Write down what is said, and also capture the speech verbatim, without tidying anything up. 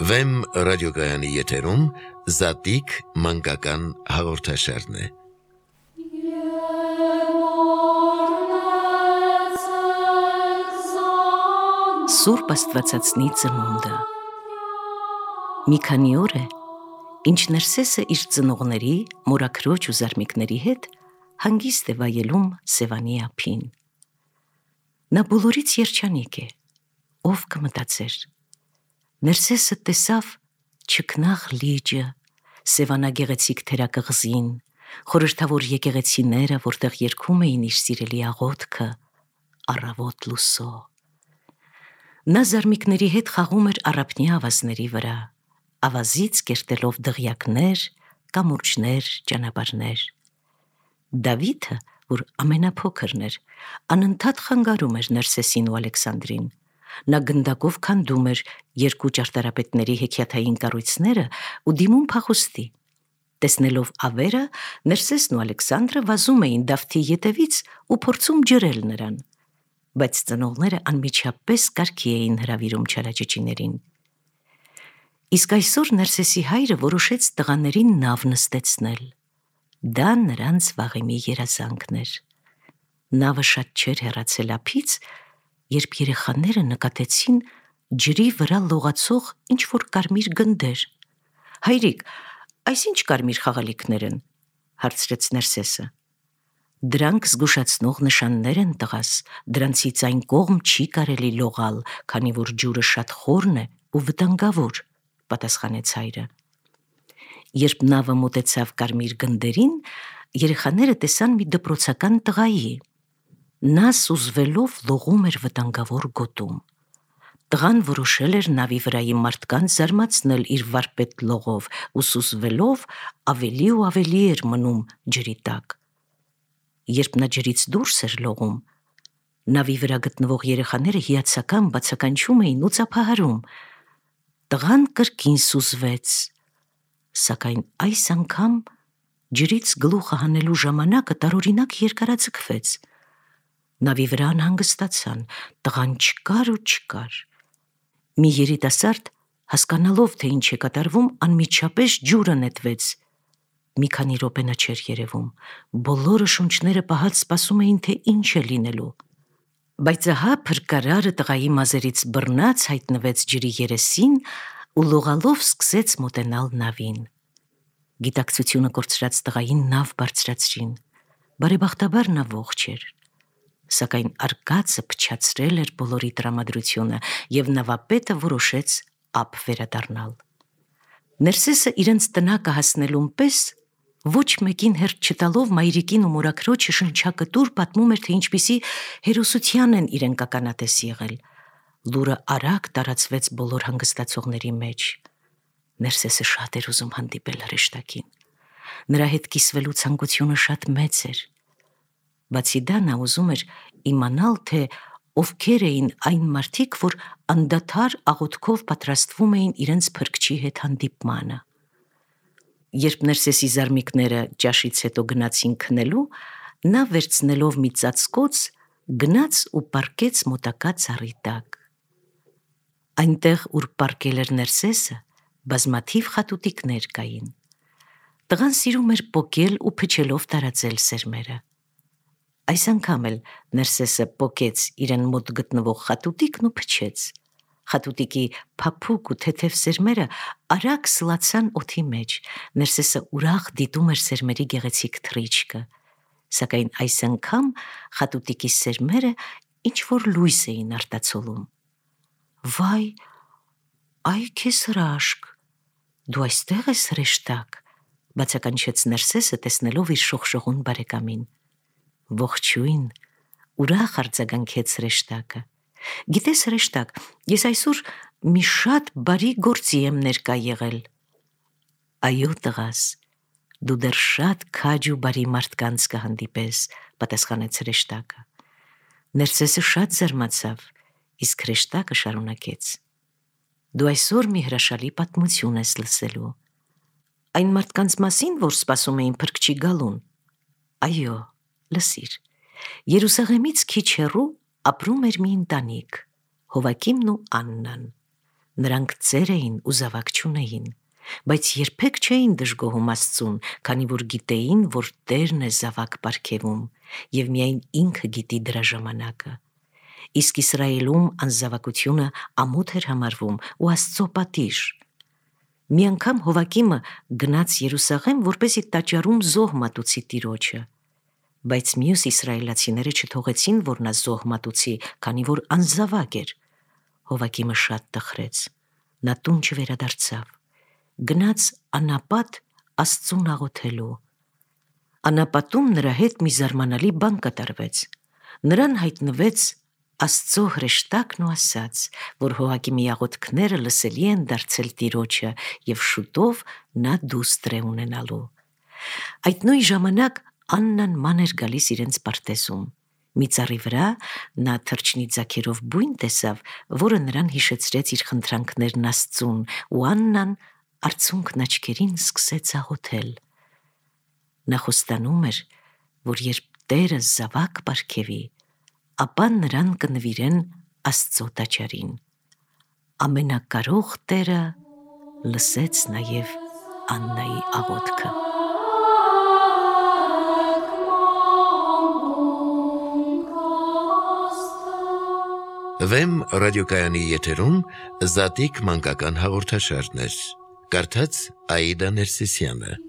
Վեմ ռադիոգայանի եթերում Զատիկ մանկական հաղորդաշարն է։ Սուրբ Աստվածածնի ծնունդը։ Մի քանի օր է, ինչ Ներսեսը իր ծնողների, մորաքրոջ ու զարմիկների հետ հանգիստ է վայելում Սևանի ափին։ Նա բոլորից երջանիկ է, ով կմտածեր։ Ներսեսը տեսավ չքնաղ լիճը, Սևանագեղեցիկ թերակղզին, խորհրդավոր եկեղեցիները, որտեղ երգում էին իր սիրելի աղոթքը, առավոտ լուսո։ Նա զարմիկների հետ խաղում էր առափնյա ավազների վրա, ավազից կերտելով դղյակներ, կամուրջներ, ճանապարհներ։ Դավիթը, որ ամենափոքրն էր, անընդհատ խանգարում էր Ներսեսին ու Ալեքսանդրին։ Նա գնդակով քանդում էր երկու ճարտարապետների հեքիաթային կառույցները ու դիմում փախուստի։ Տեսնելով ավերը, Ներսեսն ու Ալեքսանդրը վազում էին Դավթի ետևից ու փորձում ջրել նրան, բայց ծնողները անմիջապես կարգի էին հրավիրում չարաճճիներին։ Իսկ այսօր Ներսեսի հայրը որոշեց տղաներին նավ նստեցնել։ Դա նրանց վաղեմի երազանքն էր։ Նավը շատ չէր հեռացել ափից, երբ երեխաները նկատեցին ջրի վրա լողացող ինչ-որ կարմիր գնդեր։ «Հայրիկ, այս ինչ կարմիր խաղալիքներ են», հարցրեց Ներսեսը։ «Դրանք զգուշացնող նշաններ են, տղաս, դրանցից այն կողմ չի կարելի լողալ, քանի որ ջուրը շատ խորն է ու վտանգավոր», պատասխանեց հայրը։ Երբ նավը մոտեցավ կարմիր գնդերին, երեխաները տեսան մի դպրոցական տղայի։ Նա սուզվելով լողում էր վտանգավոր գոտում։ Տղան որոշել էր նավի վրայի մարդկանց զարմացնել իր վարպետ լողով ու սուզվելով ավելի ու ավելի էր մնում ջրի տակ։ Երբ նա ջրից դուրս էր լողում, նավի վրա գտնվող երեխաները հիացական բացականչում էին ու ծափահարում։ Տղան կրկին սուզվեց, սակայն այս անգամ ջրից գլուխը հանելու ժամանակը տարօրինակ երկարաձգվեց։ Նավի վրա անհանգստացան, տղան չկար ու չկար։ Մի երիտասարդ, հասկանալով, թե ինչ է կատարվում, անմիջապես ջուրը նետվեց։ Մի քանի րոպե նա չէր երևում, բոլորը շունչները պահած սպասում էին, թե ինչ է լինելու։ Բայց ահա փրկարարը տղայի մազերից բռնած հայտնվեց ջրի երեսին ու լողալով սկսեց մոտենալ նավին։ Գիտակցությունը կորցրած տղային նավ բարձրացրին։ Բարեբախտաբար նա ողջ էր, սակայն արկածը փչացրել էր բոլորի տրամադրությունը, և նավապետը որոշեց ափ վերադառնալ։ Ներսեսը իրենց տնակը հասնելուն պես ոչ մեկին հերթ չտալով մայրիկին ու մորաքրոջը շնչակտուր պատմում էր, թե ինչպիսի հերոսության են իրենք ականատես եղել։ Լուրը արագ տարածվեց բոլոր հանգստացողների մեջ։ Ներսեսը շատ էր ուզում հանդիպել հրեշտակին։ Նրա հետ կիսվելու ցանկությունը շատ մեծ էր։ Բացի դա, նա ուզում էր իմանալ, թե ովքեր էին այն մարդիկ, որ անդադար աղոթքով պատրաստվում էին իրենց փրկչի հետ հանդիպմանը։ Երբ Ներսեսի զարմիկները ճաշից հետո գնացին քնելու, նա վերցնելով մի ծածկոց, գնաց ու պառկեց մոտակա ծառի տակ։ Այնտեղ, ուր պառկել էր Ներսեսը, բազմաթիվ խատուտիկներ կային։ Տղան սիրում էր պոկել ու փչելով տարածել սերմերը։ Այս անգամ էլ Ներսեսը պոկեց իրեն մոտ գտնվող խատուտիկն ու փչեց։ Խատուտիկի փափուկ ու թեթև սերմերը արագ սլացան օդի մեջ։ Ներսեսը ուրախ դիտում էր սերմերի գեղեցիկ թռիչքը, սակայն այս անգամ խատուտիկի սերմերը ինչ-որ լույս էին արտացոլում։ «Վայ, այ քեզ հրաշք, դու այստեղ ես հրեշտակ», բացականչեց Ներսեսը, տեսնելով իր շողշողուն բարեկամին։ «Ողջույն», ուրախ արձագանքեց հրեշտակը։ «Գիտես, հրեշտակ, ես այսօր մի շատ բարի գործի եմ ներկա եղել»։ «Այո, տղաս, դու դեռ շատ քաջ ու բարի մարդկանց կհանդիպես», պատասխանեց հրեշտակը։ Ներսեսը շատ զարմացավ, իսկ հրեշտակը շարունակեց. «Դու այսօր մի հրաշալի պատմություն ես լսելու»։ «Այն մարդկանց մասին, որ սպասում էին փրկչի գալուն»։ «Այո, լսիր, Երուսաղեմից քիչ հեռու ապրում էր մի ընտանիք, Հովակիմն ու Աննան։ Նրանք ծեր էին ու զավակ չունեին, բայց երբեք չէին դժգոհում Աստծուն, քանի որ գիտեին, որ Տերն է զավակ պարգևում, և միայն ինքը գիտի դրա ժամանակը։ Իսկ Իսրայելում անզավակությունը ամոթ էր համարվում ու Աստծո պատիժ։ Մի անգամ Հովակիմը գնաց Երուսաղեմ, որպեսզի տաճարում զոհ մատուցի Տիրոջը, բայց մյուս իսրայելացիները չթողեցին, որ նա զոհ մատուցի, քանի որ անզավակ էր։ Հովակիմը շատ տխրեց, նա տուն չվերադարձավ, գնաց անապատ Աստծուն աղոթելու։ Անապատում նրա հետ մի զարմանալի բան կատարվեց։ Նրան հայտնվեց Աստծո հրեշտակն ու ասաց, որ Հովակիմի աղոթքները լսելի են դարձել Տիրոջը և շուտով նա դուստր է ունենալու։ Այդ նույն ժամանակ Աննան ման էր գալիս իրենց պարտեզում։ Մի ծառի վրա նա թռչնի ձագերով բույն տեսավ, որը նրան հիշեցրեց իր խնդրանքներն Աստծուն, ու Աննան արցունքն աչքերին սկսեց աղոթել։ Նա խոստանում էր, որ երբ Տերը զավակ պարգևի, ապա նրան կնվիրեն Աստծո տաճարին։ Ամենակարող Տերը լսեց նաև Աննայի աղոթքը։ Վեմ ռադիոկայանի եթերում Զատիկ մանկական հաղորդաշարներ։ Կարդաց Աիդա Ներսիսյանը։